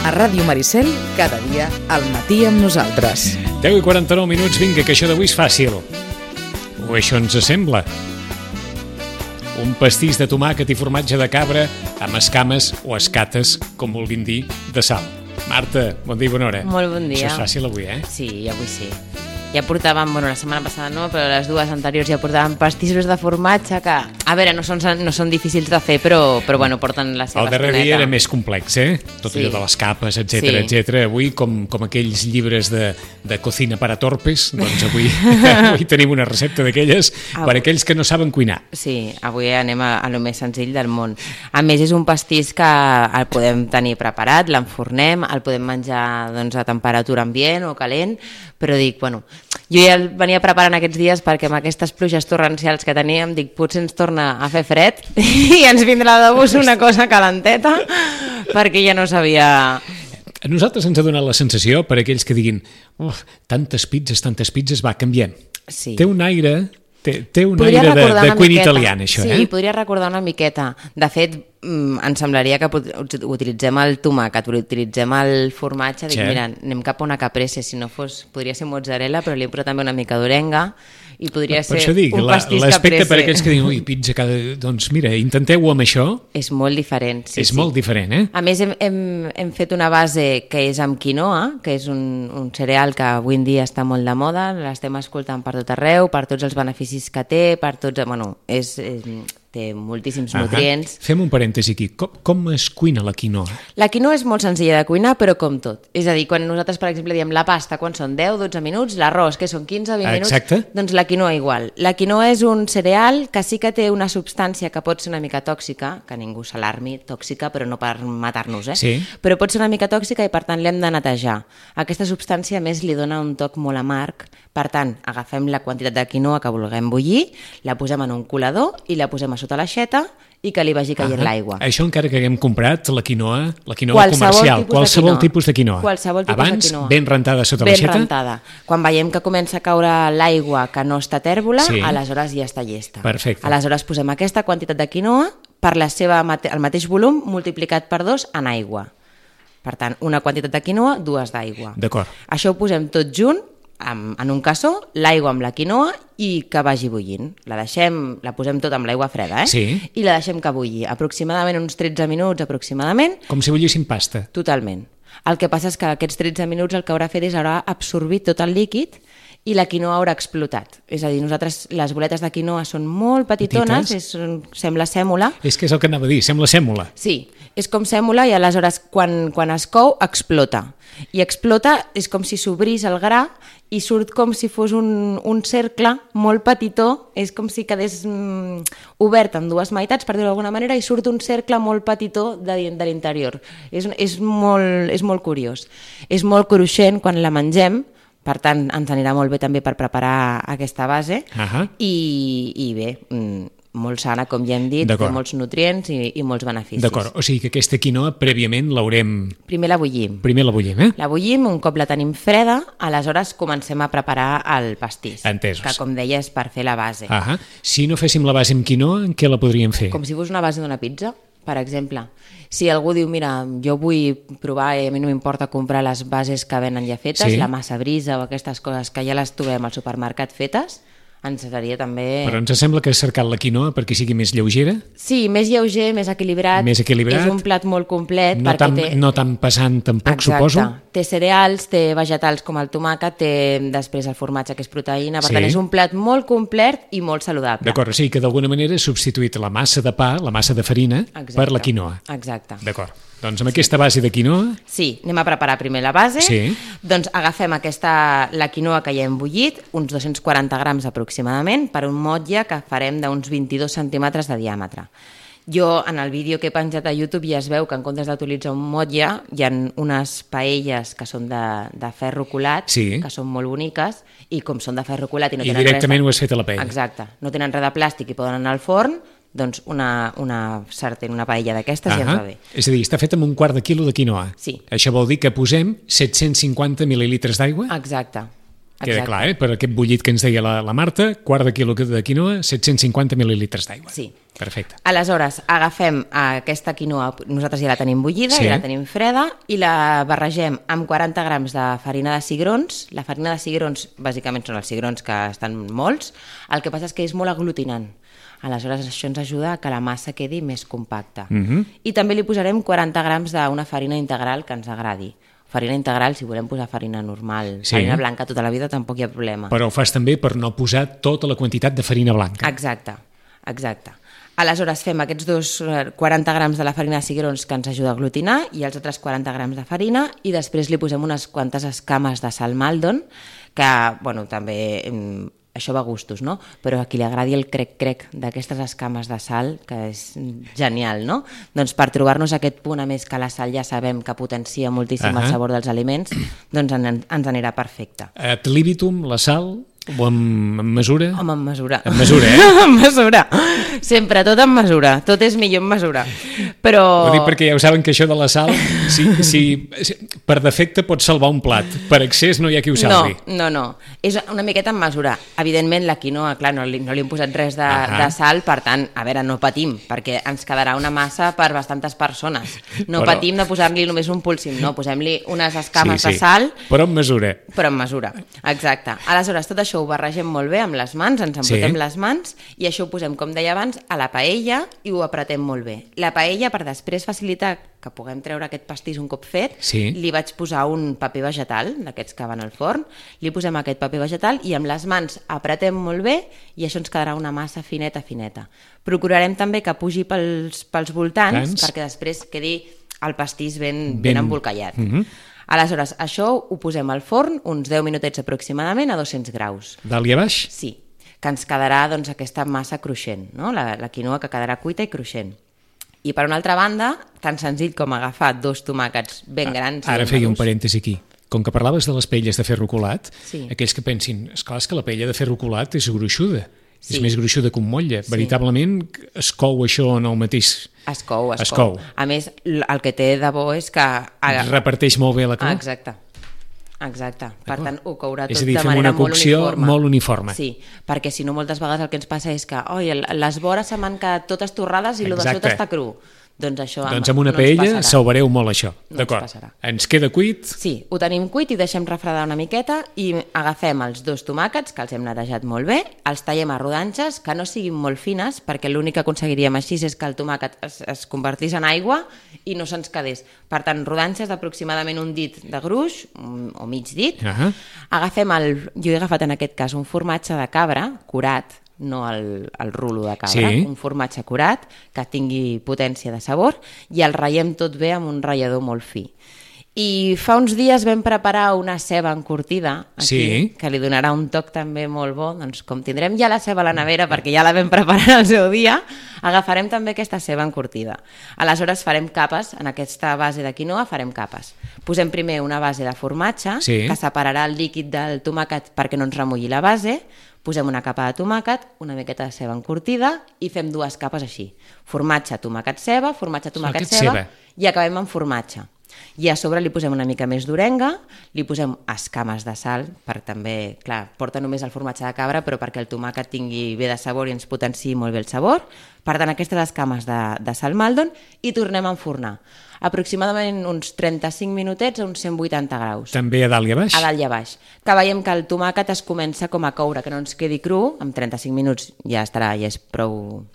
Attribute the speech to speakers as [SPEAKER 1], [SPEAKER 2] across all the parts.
[SPEAKER 1] A Ràdio Maricel, cada dia al matí amb nosaltres.
[SPEAKER 2] 10:49, vinga, que això d'avui és fàcil. O això ens sembla. Un pastís de tomàquet i formatge de cabra amb escames o escates, com vulguin dir, de sal. Marta, bon dia i bona hora.
[SPEAKER 3] Molt bon dia.
[SPEAKER 2] Això és fàcil avui, eh?
[SPEAKER 3] Sí, avui sí. Ja portàvem, la setmana passada no, però les dues anteriors ja portàvem pastissos de formatge que, a veure, no són difícils de fer, però bueno, porten la seva
[SPEAKER 2] El darrer dia era més complex, eh? Tot
[SPEAKER 3] Sí.
[SPEAKER 2] allò de les capes, etc. Avui, com aquells llibres de cocina para torpes, doncs avui tenim una recepta d'aquelles per a aquells que no saben cuinar.
[SPEAKER 3] Sí, avui anem a lo més senzill del món. A més, és un pastís que el podem tenir preparat, l'enfornem, el podem menjar doncs, a temperatura ambient o calent, però dic, bueno, jo ja el venia preparant aquests dies perquè amb aquestes pluges torrencials que teníem, dic, potser ens torna a fer fred i ens vindrà de gust una cosa calenteta perquè ja no sabia...
[SPEAKER 2] A nosaltres ens ha donat la sensació, per aquells que diguin tantes pizzas, va, canviem.
[SPEAKER 3] Sí.
[SPEAKER 2] Té un aire... Té un
[SPEAKER 3] Podria
[SPEAKER 2] aire
[SPEAKER 3] recordar
[SPEAKER 2] de
[SPEAKER 3] una
[SPEAKER 2] cuina
[SPEAKER 3] miqueta.
[SPEAKER 2] italiana, això,
[SPEAKER 3] Sí,
[SPEAKER 2] eh?
[SPEAKER 3] podria recordar una miqueta. De fet, em semblaria que utilitzem el tomàquet, utilitzem el formatge, dic,
[SPEAKER 2] Sí.
[SPEAKER 3] mira, anem cap a una caprese, si no fos, podria ser mozzarella, però li hem posat també una mica d'orenga i podria
[SPEAKER 2] Per
[SPEAKER 3] ser
[SPEAKER 2] això dic,
[SPEAKER 3] un pastís
[SPEAKER 2] l'aspecte
[SPEAKER 3] caprese.
[SPEAKER 2] per aquells que diuen, ui, pizza, doncs mira, intenteu-ho amb això,
[SPEAKER 3] És molt diferent, sí.
[SPEAKER 2] és molt diferent, eh?
[SPEAKER 3] A més, hem fet una base que és amb quinoa, que és un cereal que avui en dia està molt de moda, l'estem escoltant per tot arreu, per tots els beneficis que té, per tots... Bueno, té moltíssims nutrients.
[SPEAKER 2] Fem un parèntesi aquí. Com es cuina la quinoa?
[SPEAKER 3] La quinoa és molt senzilla de cuinar, però com tot. És a dir, quan nosaltres, per exemple, diem la pasta, quan són 10-12 minuts, l'arròs, que són 15-20 minuts,
[SPEAKER 2] Exacte.
[SPEAKER 3] doncs la quinoa igual. La quinoa és un cereal que sí que té una substància que pot ser una mica tòxica, que ningú s'alarmi, tòxica, però no per matar-nos, eh?
[SPEAKER 2] Sí.
[SPEAKER 3] Però pot ser una mica tòxica i, per tant, l'hem de netejar. Aquesta substància, a més, li dona un toc molt amarg. Per tant, agafem la quantitat de quinoa que vulguem bullir, la posem en un colador i la posem a sota l'aixeta i que li vagi caient l'aigua.
[SPEAKER 2] Això encara que haguem comprat la quinoa
[SPEAKER 3] Qualsevol
[SPEAKER 2] comercial,
[SPEAKER 3] tipus de
[SPEAKER 2] qualsevol
[SPEAKER 3] quinoa.
[SPEAKER 2] tipus de quinoa.
[SPEAKER 3] Qualsevol tipus
[SPEAKER 2] Abans,
[SPEAKER 3] de quinoa.
[SPEAKER 2] ben rentada sota
[SPEAKER 3] Ben
[SPEAKER 2] l'aixeta?
[SPEAKER 3] rentada. Quan veiem que comença a caure l'aigua que no està tèrbola,
[SPEAKER 2] Sí.
[SPEAKER 3] aleshores ja està llesta.
[SPEAKER 2] Perfecte.
[SPEAKER 3] Aleshores posem aquesta quantitat de quinoa per el mateix volum multiplicat per 2 en aigua. Per tant, una quantitat de quinoa, 2 d'aigua.
[SPEAKER 2] D'acord.
[SPEAKER 3] Això ho posem tot junt en un cassó, l'aigua amb la quinoa i que vagi bullint. La posem tot amb l'aigua freda, eh?
[SPEAKER 2] Sí.
[SPEAKER 3] I la deixem que bulli. Aproximadament uns 13 minuts, aproximadament,
[SPEAKER 2] Com si bullissin pasta.
[SPEAKER 3] totalment. El que passa és que aquests 13 minuts el que haurà fet és haurà absorbit tot el líquid i la quinoa haurà explotat. És a dir, nosaltres les boletes de quinoa són molt petitones, sembla sèmola.
[SPEAKER 2] És que és el que anava a dir, sembla sèmola.
[SPEAKER 3] Sí, és com sèmola i aleshores quan es cou explota. I explota és com si s'obrís el gra i surt com si fos un cercle molt petitó, és com si quedés obert en dues meitats, per dir-ho d'alguna manera, i surt un cercle molt petitó de l'interior. És molt curiós. És molt cruixent quan la mengem, per tant ens anirà molt bé també per preparar aquesta base i bé, molt sana, com ja hem dit, té molts nutrients i molts beneficis.
[SPEAKER 2] D'acord, o sigui que aquesta quinoa prèviament l'haurem...
[SPEAKER 3] Primer la bullim.
[SPEAKER 2] La
[SPEAKER 3] bullim, un cop la tenim freda, aleshores comencem a preparar el pastís.
[SPEAKER 2] Entesos.
[SPEAKER 3] Que, com deia, és per fer la base.
[SPEAKER 2] Si no féssim la base amb quinoa, en què la podríem fer?
[SPEAKER 3] Com si fos una base d'una pizza, per exemple. Si algú diu, mira, jo vull provar i a mi no m'importa comprar les bases que venen ja fetes, la massa brisa o aquestes coses que ja les trobem al supermercat fetes, ens seria també...
[SPEAKER 2] Però ens sembla que has cercat la quinoa perquè sigui més lleugera?
[SPEAKER 3] Sí, més lleuger, més equilibrat.
[SPEAKER 2] Més equilibrat.
[SPEAKER 3] És un plat molt complet.
[SPEAKER 2] No tan pesant tampoc, suposo.
[SPEAKER 3] Té cereals, té vegetals com el tomàquet, té després el formatge, que és proteïna. Per tant, és un plat molt complet i molt saludable.
[SPEAKER 2] D'acord, o sigui que d'alguna manera he substituït la massa de pa, la massa de farina, per la quinoa.
[SPEAKER 3] Exacte.
[SPEAKER 2] D'acord. Doncs amb aquesta base de quinoa...
[SPEAKER 3] Sí, anem a preparar primer la base.
[SPEAKER 2] Sí.
[SPEAKER 3] Doncs agafem la quinoa que ja hem bullit, uns 240 grams aproximadament, per un motlle que farem d'uns 22 centímetres de diàmetre. Jo, en el vídeo que he penjat a YouTube, ja es veu que en comptes d'utilitzar un motlle, hi ha unes paelles que són de ferro colat, que són molt boniques, i com són de ferro colat i no tenen res...
[SPEAKER 2] I directament ho has fet a la paella.
[SPEAKER 3] Exacte. No tenen res de plàstic i poden anar al forn, doncs una sartén, una paella d'aquestes ja ens va bé.
[SPEAKER 2] És a dir, està fet amb un quart de quilo de quinoa.
[SPEAKER 3] Sí.
[SPEAKER 2] Això vol dir que posem 750 mil·lilitres d'aigua?
[SPEAKER 3] Exacte.
[SPEAKER 2] Queda
[SPEAKER 3] Exacte.
[SPEAKER 2] clar, per aquest bullit que ens deia la Marta, quart de quilo de quinoa, 750 mil·lilitres d'aigua.
[SPEAKER 3] Sí.
[SPEAKER 2] Perfecte.
[SPEAKER 3] Aleshores, agafem aquesta quinoa, nosaltres ja la tenim bullida,
[SPEAKER 2] Sí.
[SPEAKER 3] ja la tenim freda, i la barregem amb 40 grams de farina de cigrons. La farina de cigrons, bàsicament, són els cigrons que estan molts. El que passa és que és molt aglutinant. Aleshores, això ens ajuda a que la massa quedi més compacta. I també li posarem 40 grams d'una farina integral que ens agradi. Farina integral, si volem posar farina normal,
[SPEAKER 2] Sí.
[SPEAKER 3] farina blanca tota la vida, tampoc hi ha problema.
[SPEAKER 2] Però ho fas també per no posar tota la quantitat de farina blanca.
[SPEAKER 3] Exacte. Aleshores fem aquests 40 grams de la farina de cigrons que ens ajuda a aglutinar i els altres 40 grams de farina i després li posem unes quantes escames de sal Maldon que, bueno, també això va a gustos, no? Però a qui li agradi el crec-crec d'aquestes escames de sal, que és genial, no? Doncs per trobar-nos aquest punt, a més que la sal ja sabem que potencia moltíssim el sabor dels aliments, doncs ens anirà perfecte.
[SPEAKER 2] Ad libitum, la sal, o en mesura?
[SPEAKER 3] Home, en mesura.
[SPEAKER 2] En mesura,
[SPEAKER 3] En mesura. Sempre, tot en mesura. Tot és millor en mesura. Però...
[SPEAKER 2] Ho dic perquè ja ho saben que això de la sal, si per defecte pot salvar un plat, per excés no hi ha qui ho salvi.
[SPEAKER 3] No. És una miqueta en mesura. Evidentment, la quinoa, clar, no li hem posat res de sal, per tant, a veure, no patim, perquè ens quedarà una massa per bastantes persones. No patim de posar-li només un púlsim, no, posem-li unes escames de sal.
[SPEAKER 2] Però en mesura.
[SPEAKER 3] Però en mesura, exacte. Aleshores, tot això ho barregem molt bé amb les mans, ens embrutem les mans i això ho posem, com deia abans, a la paella i ho apretem molt bé. La paella, per després facilitar que puguem treure aquest pastís un cop fet, li vaig posar un paper vegetal, d'aquests que van al forn, li posem aquest paper vegetal i amb les mans apretem molt bé i això ens quedarà una massa fineta. Procurarem també que pugi pels voltants perquè després quedi el pastís ben embolcallat. Aleshores, això ho posem al forn uns 10 minutets aproximadament a 200 graus.
[SPEAKER 2] Dalt i a baix?
[SPEAKER 3] Sí, que ens quedarà doncs, aquesta massa cruixent, no? La quinoa que quedarà cuita i cruixent. I per una altra banda, tan senzill com agafar 2 tomàquets ben grans.
[SPEAKER 2] Ara feia un parèntesi aquí. Com que parlaves de les paelles de ferro colat,
[SPEAKER 3] Sí.
[SPEAKER 2] aquells que pensin, esclar, és que la paella de ferro colat és gruixuda.
[SPEAKER 3] Sí.
[SPEAKER 2] És més gruixuda que un motlle. Veritablement es cou això en el mateix...
[SPEAKER 3] Es cou. A més, el que té de bo és que...
[SPEAKER 2] Reparteix molt bé la clau.
[SPEAKER 3] Exacte. Per tant, ho courà tot
[SPEAKER 2] És a dir,
[SPEAKER 3] de
[SPEAKER 2] fem
[SPEAKER 3] manera
[SPEAKER 2] una cocció molt uniforme.
[SPEAKER 3] Sí, perquè si no moltes vegades el que ens passa és que les vores se m'han quedat totes torrades i el de sota està cru. Doncs això
[SPEAKER 2] doncs amb una paella salvareu molt això. D'acord. Ens queda cuit?
[SPEAKER 3] Sí, ho tenim cuit i deixem refredar una miqueta i agafem els 2 tomàquets, que els hem netejat molt bé, els tallem a rodanxes, que no siguin molt fines, perquè l'únic que aconseguiríem així és que el tomàquet es convertís en aigua i no se'ns quedés. Per tant, rodanxes d'aproximadament un dit de gruix, o mig dit. Agafem jo he agafat en aquest cas un formatge de cabra, curat, no el rulo de cabra, un formatge curat que tingui potència de sabor i el ratllem tot bé amb un ratllador molt fi. I fa uns dies vam preparar una ceba encurtida aquí, que li donarà un toc també molt bo. Doncs com tindrem ja la ceba a la nevera perquè ja la vam preparar al seu dia, agafarem també aquesta ceba encurtida. Aleshores farem capes, en aquesta base de quinoa farem capes. Posem primer una base de formatge que separarà el líquid del tomàquet perquè no ens remulli la base. Posem una capa de tomàquet, una miqueta de ceba encurtida i fem 2 capes així. Formatge, tomàquet, ceba, formatge, tomàquet, ceba i acabem amb formatge. I a sobre li posem una mica més d'orenga, li posem escames de sal, per també, clar, porta només el formatge de cabra, però perquè el tomàquet tingui bé de sabor i ens potenciï molt bé el sabor. Per tant, aquestes escames de sal Maldon i tornem a enfornar. Aproximadament uns 35 minutets a uns 180 graus.
[SPEAKER 2] També a dalt i a baix?
[SPEAKER 3] A dalt i a baix. Que veiem que el tomàquet es comença com a coure, que no ens quedi cru, amb 35 minuts ja estarà, ja és prou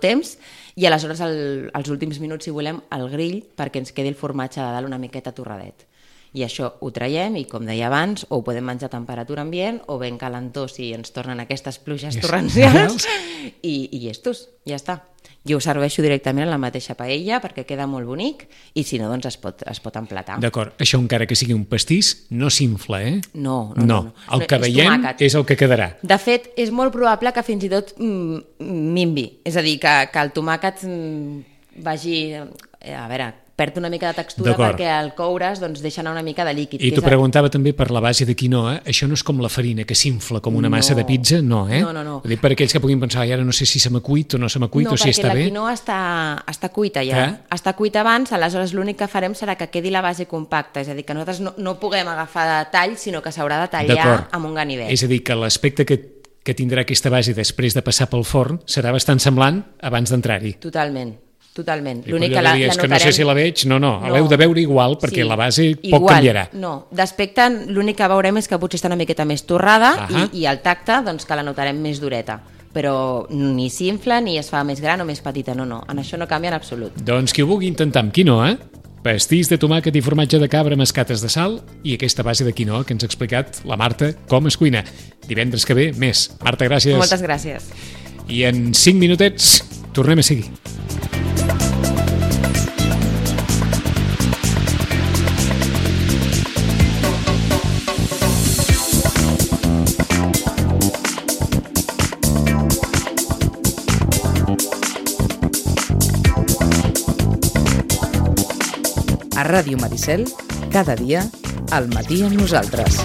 [SPEAKER 3] temps, i aleshores els últims minuts, si volem, al grill perquè ens quedi el formatge de dalt una miqueta torradet. I això ho traiem i, com deia abans, o ho podem menjar a temperatura ambient o ben calentó si ens tornen aquestes pluges torrencials i llestos, ja està. Jo ho serveixo directament en la mateixa paella perquè queda molt bonic i si no, doncs es pot emplatar.
[SPEAKER 2] D'acord, això encara que sigui un pastís no s'infla, eh?
[SPEAKER 3] No.
[SPEAKER 2] El que veiem és el que quedarà.
[SPEAKER 3] De fet, és molt probable que fins i tot minvi, és a dir, que el tomàquet vagi, a veure, perd una mica de textura perquè al coure's doncs, deixa anar una mica de líquid.
[SPEAKER 2] I t'ho preguntava també per la base de quinoa, això no és com la farina que s'infla com una massa de pizza, no, eh?
[SPEAKER 3] No.
[SPEAKER 2] Ho dic per aquells que puguin pensar, ara no sé si se m'ha cuit o no se m'ha cuit o si està bé.
[SPEAKER 3] No, perquè la quinoa està cuita ja. Està cuita abans, aleshores l'únic que farem serà que quedi la base compacta, és a dir, que nosaltres no puguem agafar de tall, sinó que s'haurà de tallar amb un ganivet.
[SPEAKER 2] És a dir, que l'aspecte que tindrà aquesta base després de passar pel forn serà bastant semblant abans d'entrar-hi.
[SPEAKER 3] Totalment.
[SPEAKER 2] L'únic que la notarem... que no sé si la veig, no, l'heu de veure igual, perquè la base poc canviarà.
[SPEAKER 3] No, d'aspecte l'únic que veurem és que potser està una miqueta més torrada i el tacte doncs, que la notarem més dureta. Però ni s'infla, ni es fa més gran o més petita, no. En això no canvia en absolut.
[SPEAKER 2] Doncs qui ho vulgui intentar amb quinoa, pastís de tomàquet i formatge de cabra amb escates de sal i aquesta base de quinoa que ens ha explicat la Marta com es cuina. Divendres que ve, més. Marta, gràcies.
[SPEAKER 3] Moltes gràcies.
[SPEAKER 2] I en 5 minutets tornem a seguir.
[SPEAKER 1] A Ràdio Maricel, cada dia, al matí amb nosaltres.